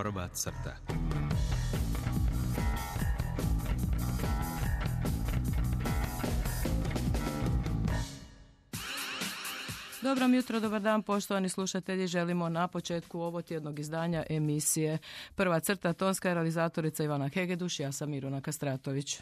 Prva crta. Dobro jutro, dobar dan poštovani slušatelji. Želimo na početku ovotjednog izdanja emisije Prva crta, tonska realizatorica Ivana Hegeduš, ja sam Miruna Kastratović.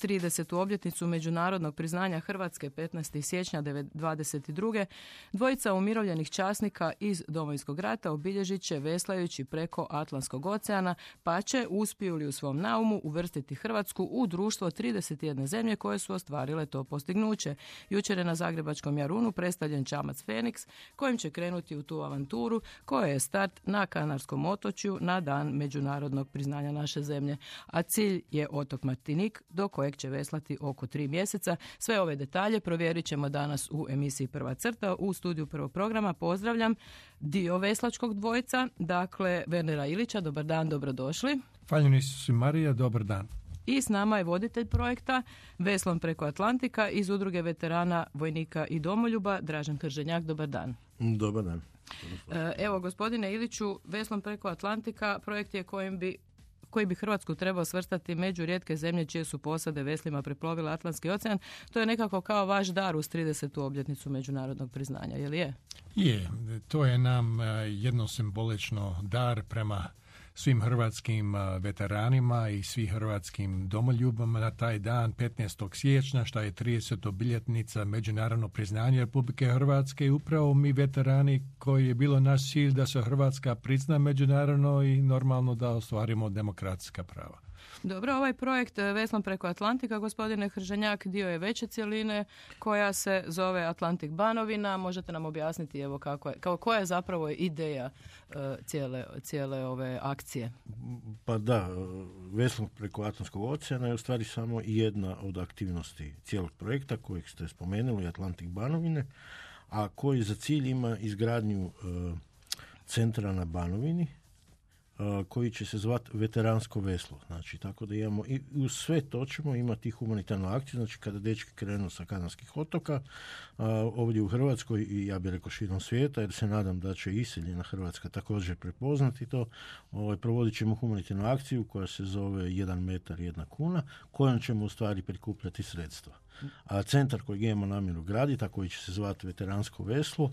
30. obljetnicu međunarodnog priznanja Hrvatske 15. siječnja 1922. dvojica umirovljenih časnika iz Domovinskog rata obilježit će veslajući preko Atlantskog oceana, pa će, uspiju li u svom naumu, uvrstiti Hrvatsku u društvo 31 zemlje koje su ostvarile to postignuće. Jučer je na Zagrebačkom Jarunu predstavljen čamac Feniks kojim će krenuti u tu avanturu koja je start na Kanarskom otočju na dan međunarodnog priznanja naše zemlje. A cilj je otok Martinik do kojeg će veslati oko 3 mjeseca. Sve ove detalje provjerit ćemo danas u emisiji Prva crta. U studiju prvog programa pozdravljam dio veslačkog dvojca, dakle Wernera Ilića. Dobar dan, dobrodošli. Hvala si Marija, dobar dan. I s nama je voditelj projekta Veslom preko Atlantika iz Udruge veterana, vojnika i domoljuba Dražen Krženjak. Dobar dan. Dobar dan. Evo, gospodine Iliću, Veslom preko Atlantika projekt je koji bi Hrvatsku trebao svrstati među rijetke zemlje čije su posade veslima preplovile Atlantski ocean. To je nekako kao vaš dar uz 30. obljetnicu međunarodnog priznanja, je li je? Je, to je nam jedno simbolično dar prema svim hrvatskim veteranima i svih hrvatskim domoljubama na taj dan 15. siječnja, što je 30. obljetnica međunarodnog priznanja Republike Hrvatske, i upravo mi veterani koji je bilo naš cilj da se Hrvatska prizna međunarodno i normalno da ostvarimo demokratska prava. Dobro, ovaj projekt Veslom preko Atlantika, gospodine Krženjak, dio je veće cjeline koja se zove Atlantik Banovina. Možete nam objasniti evo koja je zapravo ideja cijele ove akcije? Pa da, Veslom preko Atlantskog oceana je u stvari samo jedna od aktivnosti cijelog projekta kojeg ste spomenuli, Atlantik Banovine, a koji za cilj ima izgradnju centra na Banovini, koji će se zvati veteransko veslo. Znači, tako da imamo i uz sve to ćemo imati humanitarnu akciju, znači kada dečki krenu sa Kanarskih otoka ovdje u Hrvatskoj i ja bih rekao širom svijeta, jer se nadam da će iseljena Hrvatska također prepoznati to, provodit ćemo humanitarnu akciju koja se zove 1 metar 1 kuna, kojom ćemo u stvari prikupljati sredstva. A centar kojeg imamo namjeru graditi, a koji će se zvati veteransko veslo,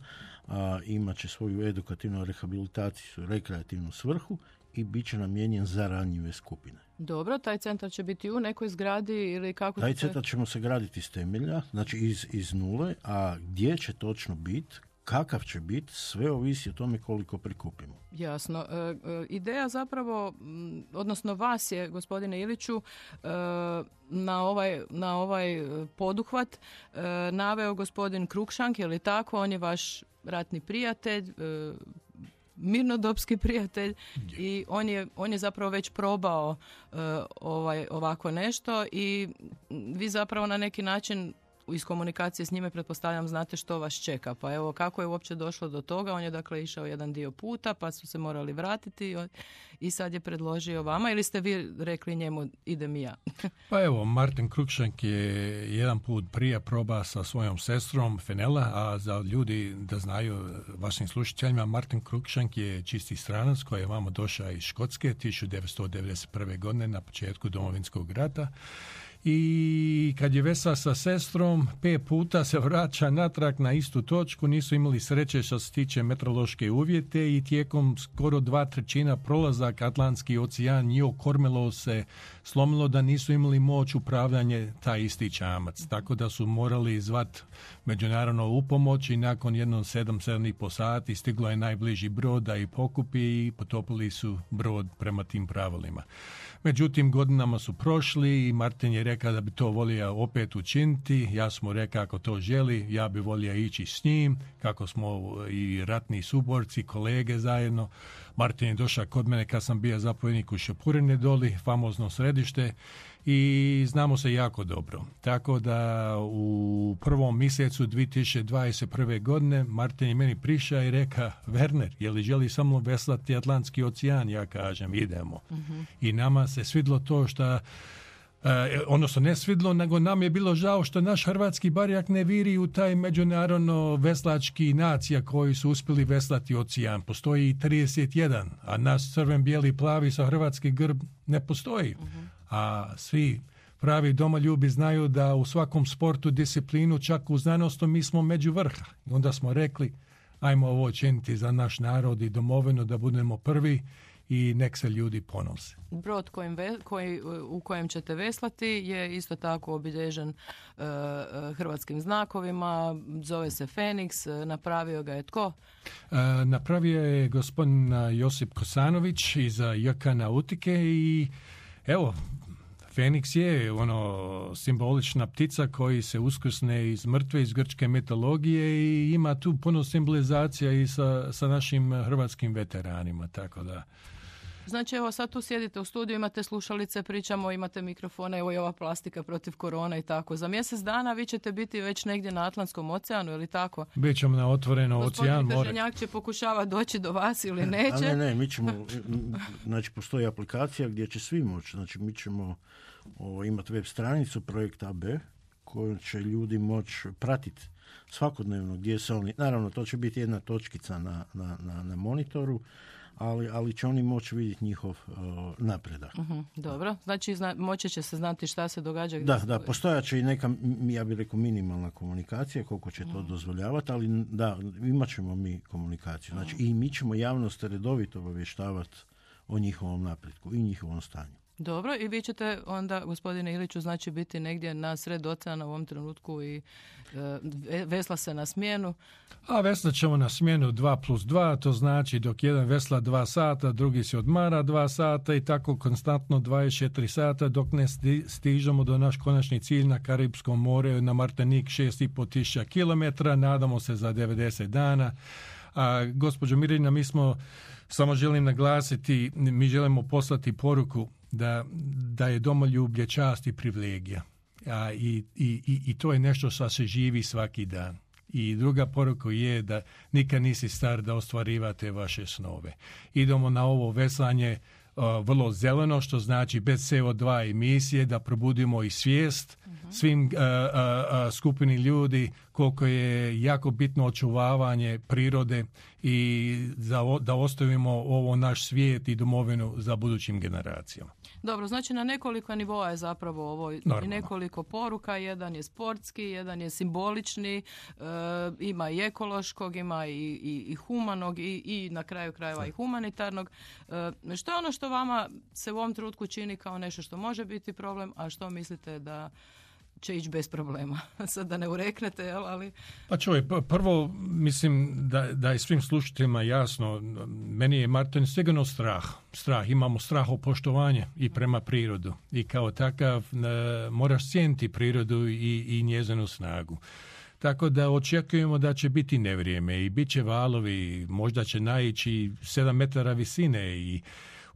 imat će svoju edukativnu rehabilitaciju, rekreativnu svrhu i bit će namijenjen za ranjive skupine. Dobro, taj centar će biti u nekoj zgradi ili kako? Taj centar ćemo se graditi iz temelja, znači iz nule, a gdje će točno biti, kakav će biti, sve ovisi o tome koliko prikupimo. Jasno. Ideja zapravo, odnosno vas je, gospodine Iliću, na ovaj poduhvat naveo gospodin Krukšank, je li tako? On je vaš ratni prijatelj, mirnodopski prijatelj i on je zapravo već probao ovako nešto i vi zapravo na neki način iz komunikacije s njime pretpostavljam znate što vas čeka. Pa evo, kako je uopće došlo do toga? On je dakle išao jedan dio puta pa su se morali vratiti i sad je predložio vama ili ste vi rekli njemu idem i ja? Pa evo, Martin Krukšank je jedan put prije proba sa svojom sestrom Fenela, a za ljudi da znaju vašim slušateljima, Martin Krukšank je čisti stranac koji je vamo došao iz Škotske 1991. godine na početku Domovinskog rata. I kad je vesla sa sestrom, 5 puta se vraća natrag na istu točku, nisu imali sreće što se tiče meteorološke uvjete i tijekom skoro 2/3 prolazak Atlantski ocean njihovo kormilo se slomilo da nisu imali moć upravljanje taj isti čamac. Tako da su morali zvat međunarodno upomoć i nakon jedno 7,5 sati stiglo je najbliži brod da i pokupi i potopili su brod prema tim pravilima. Međutim, godinama su prošli i Martin je rekao da bi to volio opet učiniti. Ja sam mu rekao ako to želi, ja bi volio ići s njim, kako smo i ratni suborci, kolege zajedno. Martin je došao kod mene kad sam bio zapovjednik u Šepurine doli, famozno središte, i znamo se jako dobro. Tako da u prvom mjesecu 2021. godine Martin je meni prišao i rekao, Werner, je li želi samo veslati Atlantski ocean? Ja kažem, idemo. I nama se svidlo to što Odnosno ne svidlo, nego nam je bilo žao što naš hrvatski barjak ne viri u taj međunarodno veslački nacija koji su uspjeli veslati ocean. Postoji i 31, a naš crven, bijeli, plavi sa hrvatski grb ne postoji. A svi pravi domoljubi znaju da u svakom sportu, disciplinu, čak u znanosti mi smo među vrha. Onda smo rekli, ajmo ovo činiti za naš narod i domovinu da budemo prvi i nek se ljudi ponose. Brod u kojem ćete veslati je isto tako obilježen hrvatskim znakovima, zove se Feniks, napravio ga je tko? Napravio je gospodin Josip Kosanović iz JK Nautike i evo, Feniks je simbolična ptica koji se uskrsne iz mrtve, iz grčke mitologije i ima tu puno simbolizacija i sa našim hrvatskim veteranima, tako da... Znači, evo sad tu sjedite u studiju, imate slušalice, pričamo, imate mikrofone, evo i ova plastika protiv korona i tako. Za mjesec dana vi ćete biti već negdje na Atlantskom oceanu, ili tako? Bićemo na otvoreno ocean, more. Gospodin Trženjak će pokušava doći do vas ili neće? Ne, mi ćemo, znači postoji aplikacija gdje će svi moći, znači mi ćemo imati web stranicu Projekt AB koju će ljudi moći pratiti svakodnevno gdje se oni, naravno to će biti jedna točkica na monitoru, ali će oni moći vidjeti njihov napredak. Dobro, znači moći će se znati šta se događa. Da, postojat će i neka, ja bih rekao, minimalna komunikacija, koliko će to dozvoljavati, ali da, imat ćemo mi komunikaciju. Znači i mi ćemo javnost redovito obavještavati o njihovom napretku i njihovom stanju. Dobro, i vi ćete onda, gospodine Iliću, znači biti negdje na sred oceana u ovom trenutku i vesla se na smjenu? A veslat ćemo na smjenu 2+2, to znači dok jedan vesla 2 sata, drugi se odmara 2 sata i tako konstantno 24 sata dok ne stižemo do naš konačni cilj na Karibskom more, na Martinik 6.500 km, nadamo se za 90 dana. A gospođo Mirjana, mi smo, samo želim naglasiti, mi želimo poslati poruku da je domoljublje čast i privilegija. I to je nešto što se živi svaki dan. I druga poruka je da nikad nisi star da ostvarivate vaše snove. Idemo na ovo veslanje vrlo zeleno, što znači bez CO2 emisije, da probudimo i svijest svim skupini ljudi koliko je jako bitno očuvavanje prirode i da ostavimo ovo naš svijet i domovinu za budućim generacijama. Dobro, znači na nekoliko nivoa je zapravo ovo i nekoliko poruka. Jedan je sportski, jedan je simbolični, ima i ekološkog, ima i humanog i na kraju krajeva i humanitarnog. Što je ono što vama se u ovom trenutku čini kao nešto što može biti problem, a što mislite da će ići bez problema? Sad da ne ureknete, ali... Pa čuj, prvo mislim da je svim slušateljima jasno, meni je Martin sigurno strah. Imamo strah o poštovanje i prema prirodu. I kao takav moraš cijeniti prirodu i njezinu snagu. Tako da očekujemo da će biti nevrijeme i bit će valovi, možda će naići 7 metara visine i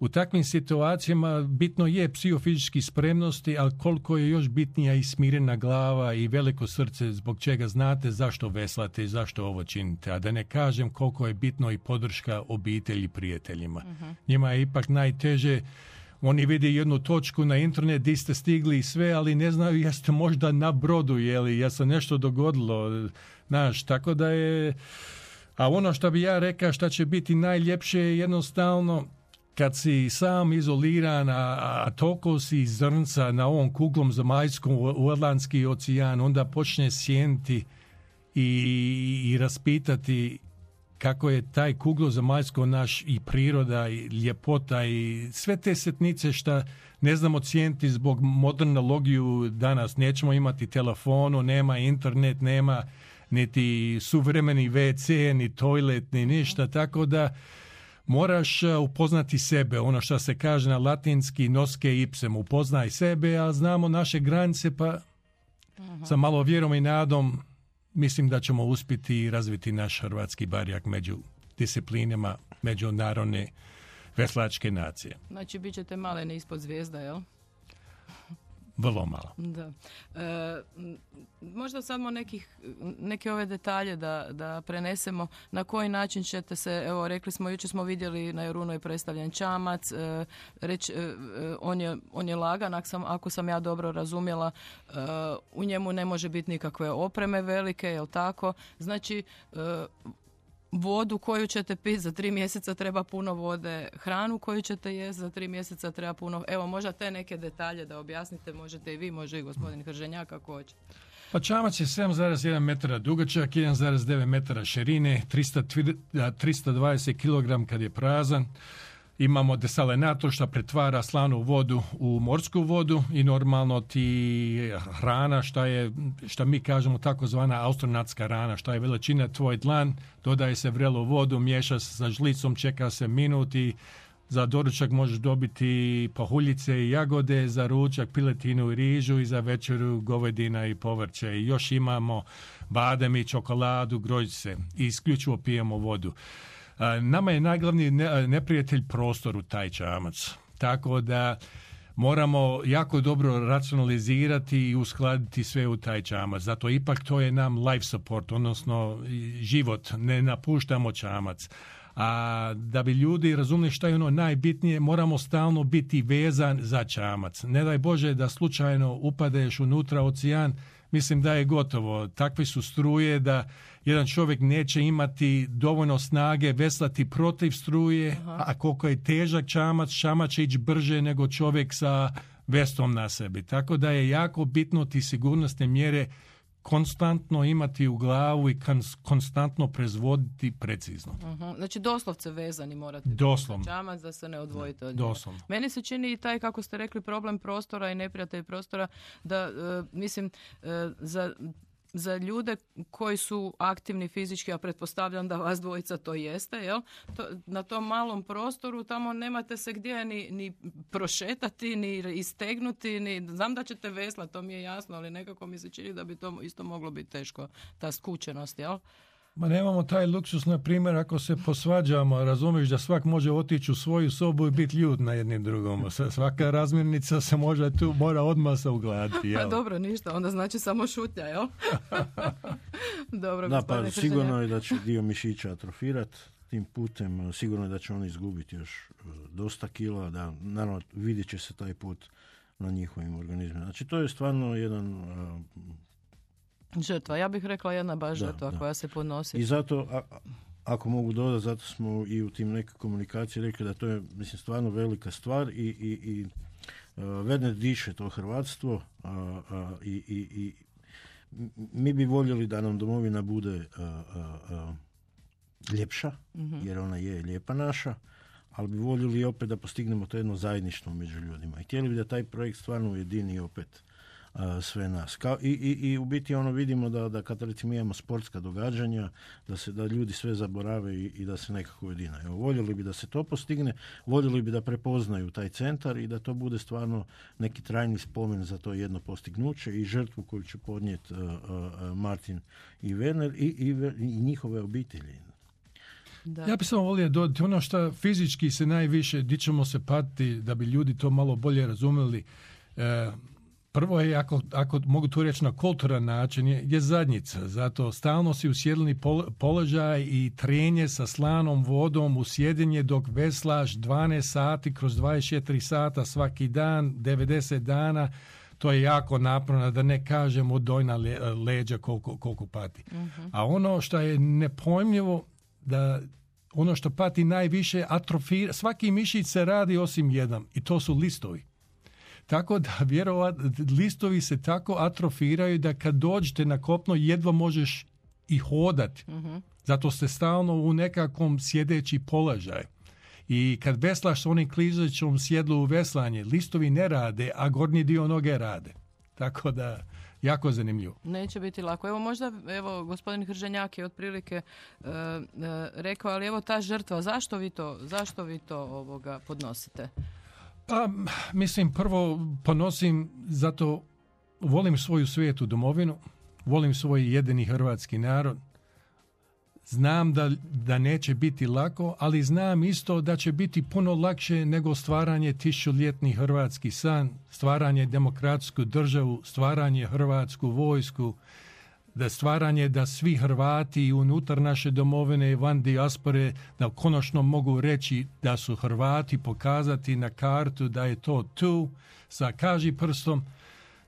u takvim situacijama bitno je psihofizički spremnosti, ali koliko je još bitnija i smirena glava i veliko srce zbog čega znate zašto veslate i zašto ovo činite. A da ne kažem koliko je bitno i podrška obitelji i prijateljima. Njima je ipak najteže. Oni vide jednu točku na internet gdje ste stigli i sve, ali ne znaju jeste možda na brodu, je se nešto dogodilo. Tako da je... A ono što bi ja rekao što će biti najljepše je jednostavno kad si sam izoliran, a toliko si zrnca na ovom kuglom zemaljskom u Atlantski ocean, onda počne sjeniti i raspitati kako je taj kuglo zemaljsko naš i priroda i ljepota i sve te sitnice što ne znamo cijeniti zbog modernologiju danas. Nećemo imati telefonu, nema internet, nema niti suvremeni WC, ni toilet, ni ništa, tako da moraš upoznati sebe, ono što se kaže na latinski nosce ipsem, upoznaj sebe, a znamo naše granice, pa sa malo vjerom i nadom mislim da ćemo uspjeti razviti naš hrvatski barjak među disciplinama međunarodne veslačke nacije. Znači, bit ćete malene ispod zvijezda, jel? vrlo malo. Da. Možda samo neke ove detalje da prenesemo. Na koji način ćete se, evo rekli smo, jučer smo vidjeli na Jorunu je predstavljen čamac, on je lagan, ako sam ja dobro razumjela, u njemu ne može biti nikakve opreme velike, jel tako? Znači, vodu koju ćete piti za 3 mjeseca treba puno vode, hranu koju ćete jesti za 3 mjeseca treba puno. Evo, možda te neke detalje da objasnite, možete i vi, može i gospodin Hrženjak ako hoće. Pa čamac je 7,1 metara dugačak, 1,9 metara širine, 320 kg kad je prazan. Imamo desalinator što pretvara slanu vodu u morsku vodu i normalno ti hrana što mi kažemo takozvana astronatska hrana, što je veličina tvoj dlan, dodaje se vrelo vodu, miješa se sa žlicom, čeka se minut i za doručak možeš dobiti pahuljice i jagode, za ručak piletinu i rižu i za večeru govedina i povrće. I još imamo badem i čokoladu, grožđe i isključivo pijemo vodu. Nama je najglavniji neprijatelj prostor u taj čamac. Tako da moramo jako dobro racionalizirati i uskladiti sve u taj čamac. Zato ipak to je nam life support, odnosno život. Ne napuštamo čamac. A da bi ljudi razumjeli šta je ono najbitnije, moramo stalno biti vezan za čamac. Ne daj Bože da slučajno upadeš unutra ocean, mislim da je gotovo. Takve su struje da jedan čovjek neće imati dovoljno snage veslati protiv struje, a koliko je težak čamac će ići brže nego čovjek sa vestom na sebi. Tako da je jako bitno ti sigurnosne mjere konstantno imati u glavu i konstantno proizvoditi precizno. Znači doslovce vezani morate doslovno biti čamac da se ne odvojite od njega. Doslovno. Meni se čini i taj, kako ste rekli, problem prostora i neprijatelj prostora, da za ljude koji su aktivni fizički, a pretpostavljam da vas dvojica to jeste, jel? Na tom malom prostoru tamo nemate se gdje ni prošetati, ni istegnuti, znam da ćete veslati, to mi je jasno, ali nekako mi se čini da bi to isto moglo biti teško, ta skučenost, jel? Ma nemamo taj luksus, na primjer, ako se posvađamo, razumiješ da svak može otići u svoju sobu i biti ljud na jednim drugom. Svaka razmirnica se mora odmah se ugladiti. Pa dobro, ništa, onda znači samo šutnja, jel? Dobro, da, pa sigurno je da će dio mišića atrofirati tim putem, sigurno je da će oni izgubiti još dosta kila, da naravno vidjet će se taj put na njihovim organizmima. Znači to je stvarno jedan... žrtva, ja bih rekla jedna baš žrtva koja se podnosi. I zato, ako mogu dodati, zato smo i u tim nekoj komunikaciji rekli da to je, mislim, stvarno velika stvar i vedne diše to hrvatstvo i mi bi voljeli da nam domovina bude ljepša, jer ona je lijepa naša, ali bi voljeli opet da postignemo to jedno zajedništvo među ljudima. I htjeli bi da taj projekt stvarno ujedini opet sve nas. I u biti vidimo da kad recimo imamo sportska događanja, da ljudi sve zaborave i da se nekako ujedine. Evo, voljeli bi da se to postigne, voljeli bi da prepoznaju taj centar i da to bude stvarno neki trajni spomen za to jedno postignuće i žrtvu koju će podnijeti Martin i Werner i njihove obitelji. Da. Ja bih samo volio dodati ono što fizički se najviše, di ćemo se patiti da bi ljudi to malo bolje razumjeli. Prvo je, ako mogu to reći na kulturan način, je zadnjica. Zato stalno si u sjedleni položaj i trenje sa slanom vodom u sjedenje dok veslaš 12 sati kroz 24 sata svaki dan, 90 dana. To je jako naporno, da ne kažemo dojna leđa koliko pati. A ono što je nepojmljivo, da ono što pati najviše atrofira, svaki mišić se radi osim jedan i to su listovi. Tako da vjerovatno listovi se tako atrofiraju da kad dođete na kopno jedva možeš i hodati. Zato ste stalno u nekakvom sjedeći položaj. I kad veslaš s onim klizećom sjedlu u veslanje, listovi ne rade, a gornji dio noge rade. Tako da jako zanimljivo. Neće biti lako. Evo možda, gospodin Hrženjak je otprilike rekao, ali evo ta žrtva, zašto vi to podnosite? Pa, mislim, prvo ponosim zato volim svoju svijetu domovinu, volim svoj jedini hrvatski narod, Znam da neće biti lako, ali znam isto da će biti puno lakše nego stvaranje tisućljetni hrvatski san, stvaranje demokratsku državu, stvaranje hrvatsku vojsku, da stvaranje da svi Hrvati unutar naše domovine i van dijaspore da konačno mogu reći da su Hrvati, pokazati na kartu da je to tu sa kaži prstom.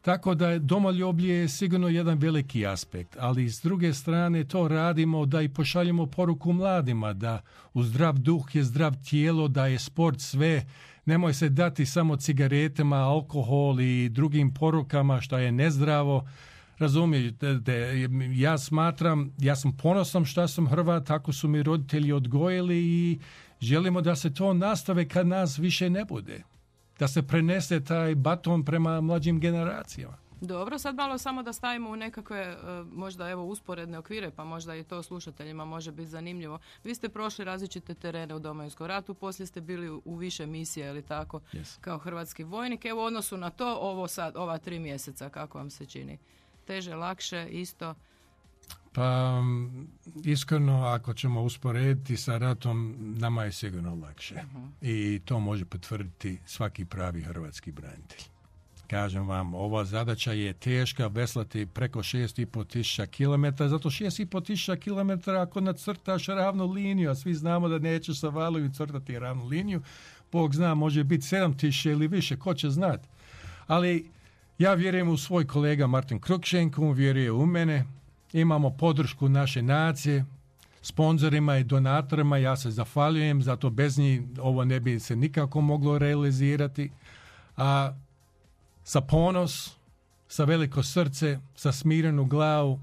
Tako da je domoljublje je sigurno jedan veliki aspekt, ali s druge strane to radimo da i pošaljemo poruku mladima da u zdrav duh je zdrav tijelo, da je sport sve. Nemoj se dati samo cigaretama, alkohol i drugim porukama što je nezdravo. Razumijete, ja sam ponosan što sam Hrvat, tako su mi roditelji odgojili i želimo da se to nastave kad nas više ne bude. Da se prenese taj baton prema mlađim generacijama. Dobro, sad malo samo da stavimo u nekakve možda usporedne okvire, pa možda i to slušateljima može biti zanimljivo. Vi ste prošli različite terene u Domovinskom ratu, poslije ste bili u više misija ili tako, kao hrvatski vojnik. Evo u odnosu na to, ova 3 mjeseca, kako vam se čini? Teže, lakše, isto? Pa, iskreno, ako ćemo usporediti sa ratom, nama je sigurno lakše. I to može potvrditi svaki pravi hrvatski branitelj. Kažem vam, ova zadaća je teška, veslati preko 6.500 km, zato 6.500 km ako nacrtaš ravnu liniju, a svi znamo da nećeš sa valovi crtati ravnu liniju, Bog zna, može biti 7.000 ili više, ko će znati. Ali ja vjerujem u svoj kolega Martin Krukšenko, on vjeruje u mene, imamo podršku naše nacije, sponzorima i donatorima, ja se zahvaljujem, zato bez njih ovo ne bi se nikako moglo realizirati. A sa ponos, sa veliko srce, sa smirenu glavu,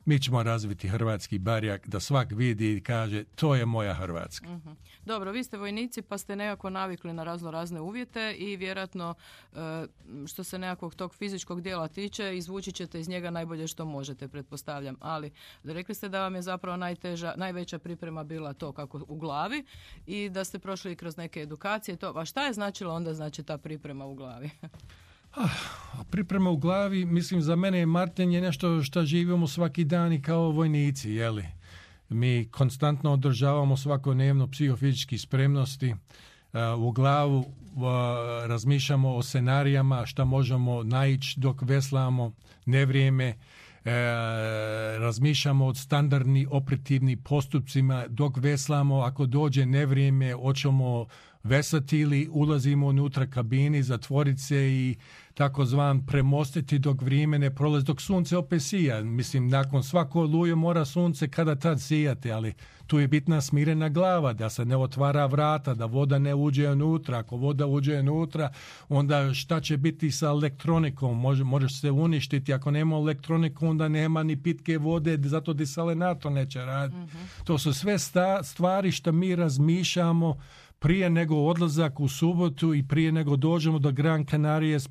mi ćemo razviti hrvatski barjak da svak vidi i kaže to je moja Hrvatska. Uh-huh. Dobro, vi ste vojnici pa ste nekako navikli na razne uvjete i vjerojatno što se nekakvog tog fizičkog dijela tiče, izvući ćete iz njega najbolje što možete, pretpostavljam. Ali rekli ste da vam je zapravo najveća priprema bila to kako u glavi i da ste prošli kroz neke edukacije. A šta je značilo onda ta priprema u glavi? Priprema u glavi, mislim za mene Martin je nešto što živimo svaki dan i kao vojnici, jeli? Mi konstantno održavamo svakodnevno psihofizički spremnosti, u glavu razmišljamo o scenarijama šta možemo naići dok veslamo, nevrijeme, razmišljamo o standardnim operativnim postupcima dok veslamo, ako dođe nevrijeme, hoćemo vesati ili ulazimo unutra kabini, zatvoriti se i takozvan premostiti dok vrijeme ne prolazi, dok sunce opet sija. Mislim, nakon svako oluje mora sunce kada tad sijati, ali tu je bitna smirena glava, da se ne otvara vrata, da voda ne uđe unutra. Ako voda uđe unutra, onda šta će biti sa elektronikom? Možeš se uništiti. Ako nema elektroniku, onda nema ni pitke vode, zato desalinator neće raditi. Mm-hmm. To su sve stvari što mi razmišljamo prije nego odlazak u subotu i prije nego dođemo do Gran Canarije s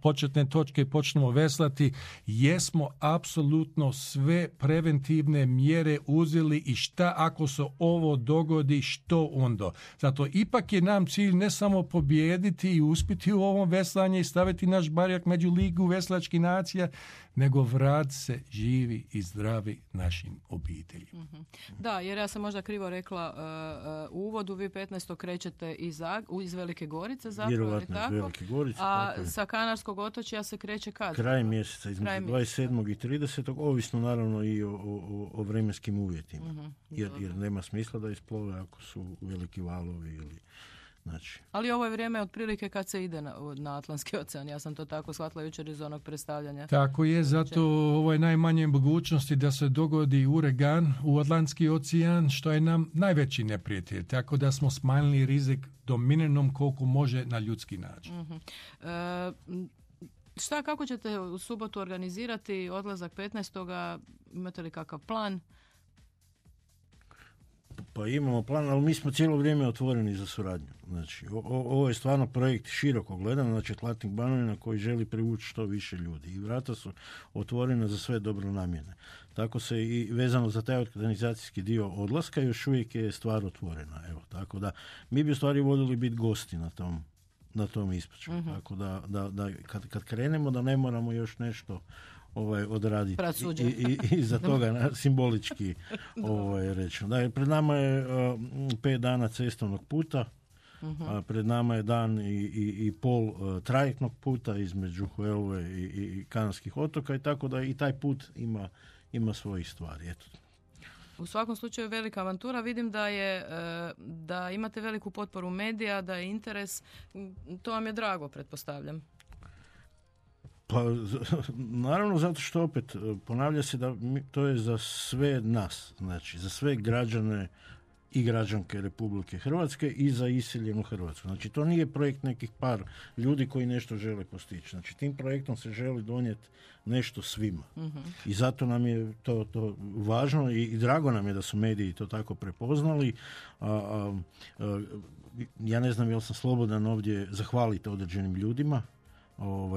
početne točke i počnemo veslati, jesmo apsolutno sve preventivne mjere uzeli i šta ako se ovo dogodi, što onda. Zato ipak je nam cilj ne samo pobijediti i uspjeti u ovom veslanju i staviti naš barjak među ligu veslačkih nacija, nego vrat se živi i zdravi našim obiteljima. Mm-hmm. Da, jer ja sam možda krivo rekla u uvodu, vi 15. krećete iz Velike Gorice, zapravo, tako? Velike Gorice, a sa Kanarskog otočja se kreće kad? Kraj mjeseca, između 27. i 30. Ovisno naravno i o vremenskim uvjetima. Mm-hmm. Jer nema smisla da isplove ako su veliki valovi ili... Znači. Ali ovo je vrijeme otprilike kad se ide na Atlantski ocean. Ja sam to tako shvatila jučer iz onog predstavljanja. Tako je, zato ovo je najmanje mogućnosti da se dogodi uragan u Atlantski ocean, što je nam najveći neprijatelj. Tako da smo smanjili rizik do minimum koliko može na ljudski način. Mm-hmm. Kako ćete u subotu organizirati odlazak 15. Imate li kakav plan? Pa imamo plan, ali mi smo cijelo vrijeme otvoreni za suradnju. Znači, ovo je stvarno projekt široko gledan, znači Atlantik Banovina koji želi privući što više ljudi. I vrata su otvorena za sve dobronamjene. Tako se i vezano za taj organizacijski dio odlaska još uvijek je stvar otvorena. Evo, tako da mi bi u stvari voljeli biti gosti na tom ispraćaju. Mm-hmm. Tako da kad krenemo da ne moramo još nešto odraditi. Pravosuđe. I za toga simbolički rečeno. Da, pred nama je 5 dana cestovnog puta, pred nama je dan i pol trajektnog puta između Huelve i Kanarskih otoka i tako da i taj put ima svojih stvari. Eto. U svakom slučaju velika avantura. Vidim da imate veliku potporu medija, da je interes. To vam je drago, pretpostavljam. Pa, naravno, zato što opet ponavlja se da to je za sve nas, znači za sve građane i građanke Republike Hrvatske i za iseljenu Hrvatsku. Znači, to nije projekt nekih par ljudi koji nešto žele postići. Znači, tim projektom se želi donijeti nešto svima. I zato nam je to važno i drago nam je da su mediji to tako prepoznali. Ja ne znam jel sam slobodan ovdje zahvaliti određenim ljudima.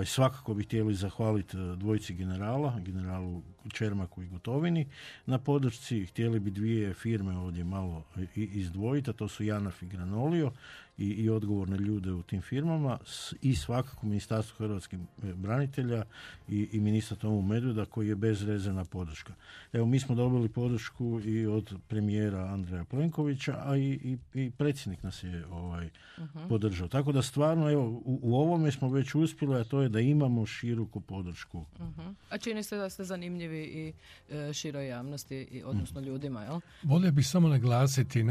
Svakako bi htjeli zahvaliti dvojici generalu Čermaku i Gotovini na podršci. Htjeli bi 2 firme ovdje malo izdvojiti, a to su Janaf i Granolio i odgovorne ljude u tim firmama i svakako Ministarstvo hrvatskih branitelja i ministra Tomu Medveda koji je bezrezervna podrška. Evo, mi smo dobili podršku i od premijera Andreja Plenkovića, a i predsjednik nas je podržao. Tako da stvarno, evo, u ovome smo već uspjeli, a to je da imamo široku podršku. A čini se da ste zanimljivi i široj javnosti, odnosno ljudima, jel? Volio bih samo naglasiti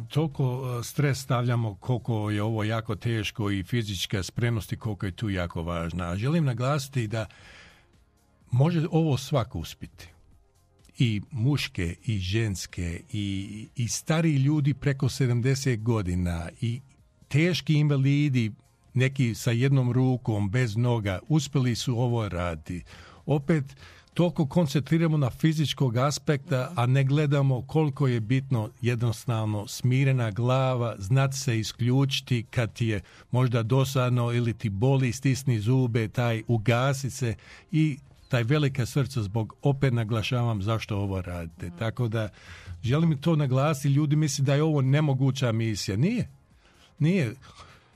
toliko stres stavljamo koliko je ovo jako teško i fizička spremnost i koliko je tu jako važna. A želim naglasiti da može ovo svako uspjeti. I muške, i ženske, i stari ljudi preko 70 godina, i teški invalidi, neki sa jednom rukom, bez noga, uspjeli su ovo raditi. Opet, toliko koncentriramo na fizičkog aspekta, a ne gledamo koliko je bitno jednostavno smirena glava, znati se isključiti kad ti je možda dosadno ili ti boli, stisni zube, taj ugasi se i taj velika srca zbog, opet naglašavam zašto ovo radite. Tako da želim to naglasiti, ljudi misle da je ovo nemoguća misija. Nije.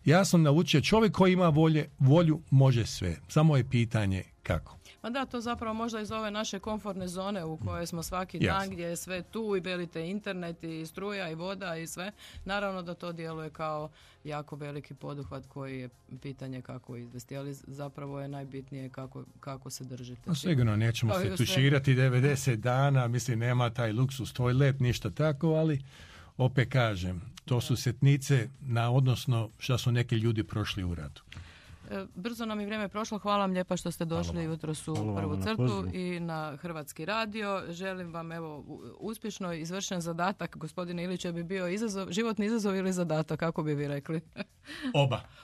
Ja sam naučio, čovjek koji ima volju može sve. Samo je pitanje kako. Ma da, to zapravo možda iz ove naše komfortne zone u kojoj smo svaki dan, gdje je sve tu i velite internet i struja i voda i sve. Naravno da to djeluje kao jako veliki poduhvat koji je pitanje kako izvesti, ali zapravo je najbitnije kako se držite. No, sigurno nećemo se tuširati 90 dana, mislim nema taj luksus, tvoj let, ništa tako, ali opet kažem, to su sitnice na odnosno što su neki ljudi prošli u ratu. Brzo nam je vrijeme prošlo. Hvala vam lijepa što ste došli jutros u prvu crtu i na Hrvatski radio. Želim vam uspješno izvršen zadatak. Gospodine Ilić, bi bio životni izazov ili zadatak, kako bi vi rekli?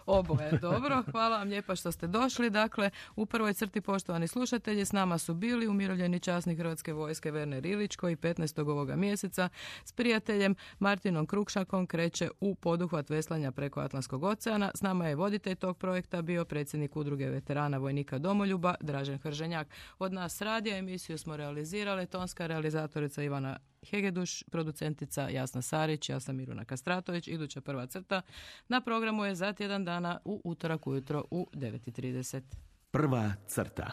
Oboje, dobro. Hvala vam lijepa što ste došli. Dakle, u prvoj crti, poštovani slušatelji, s nama su bili umirovljeni časnik Hrvatske vojske Werner Ilić, koji 15. ovoga mjeseca s prijateljem Martinom Krukšankom kreće u poduhvat veslanja preko Atlantskog oceana. S nama je voditelj tog projekta bio predsjednik Udruge veterana vojnika Domoljuba Dražen Hrženjak. Od nas radija emisiju smo realizirale tonska realizatorica Ivana Hegeduš, producentica Jasna Sarić, ja sam Miruna Kastratović. Iduća prva crta na programu je za tjedan dana u utorak ujutro u 9:30. Prva crta.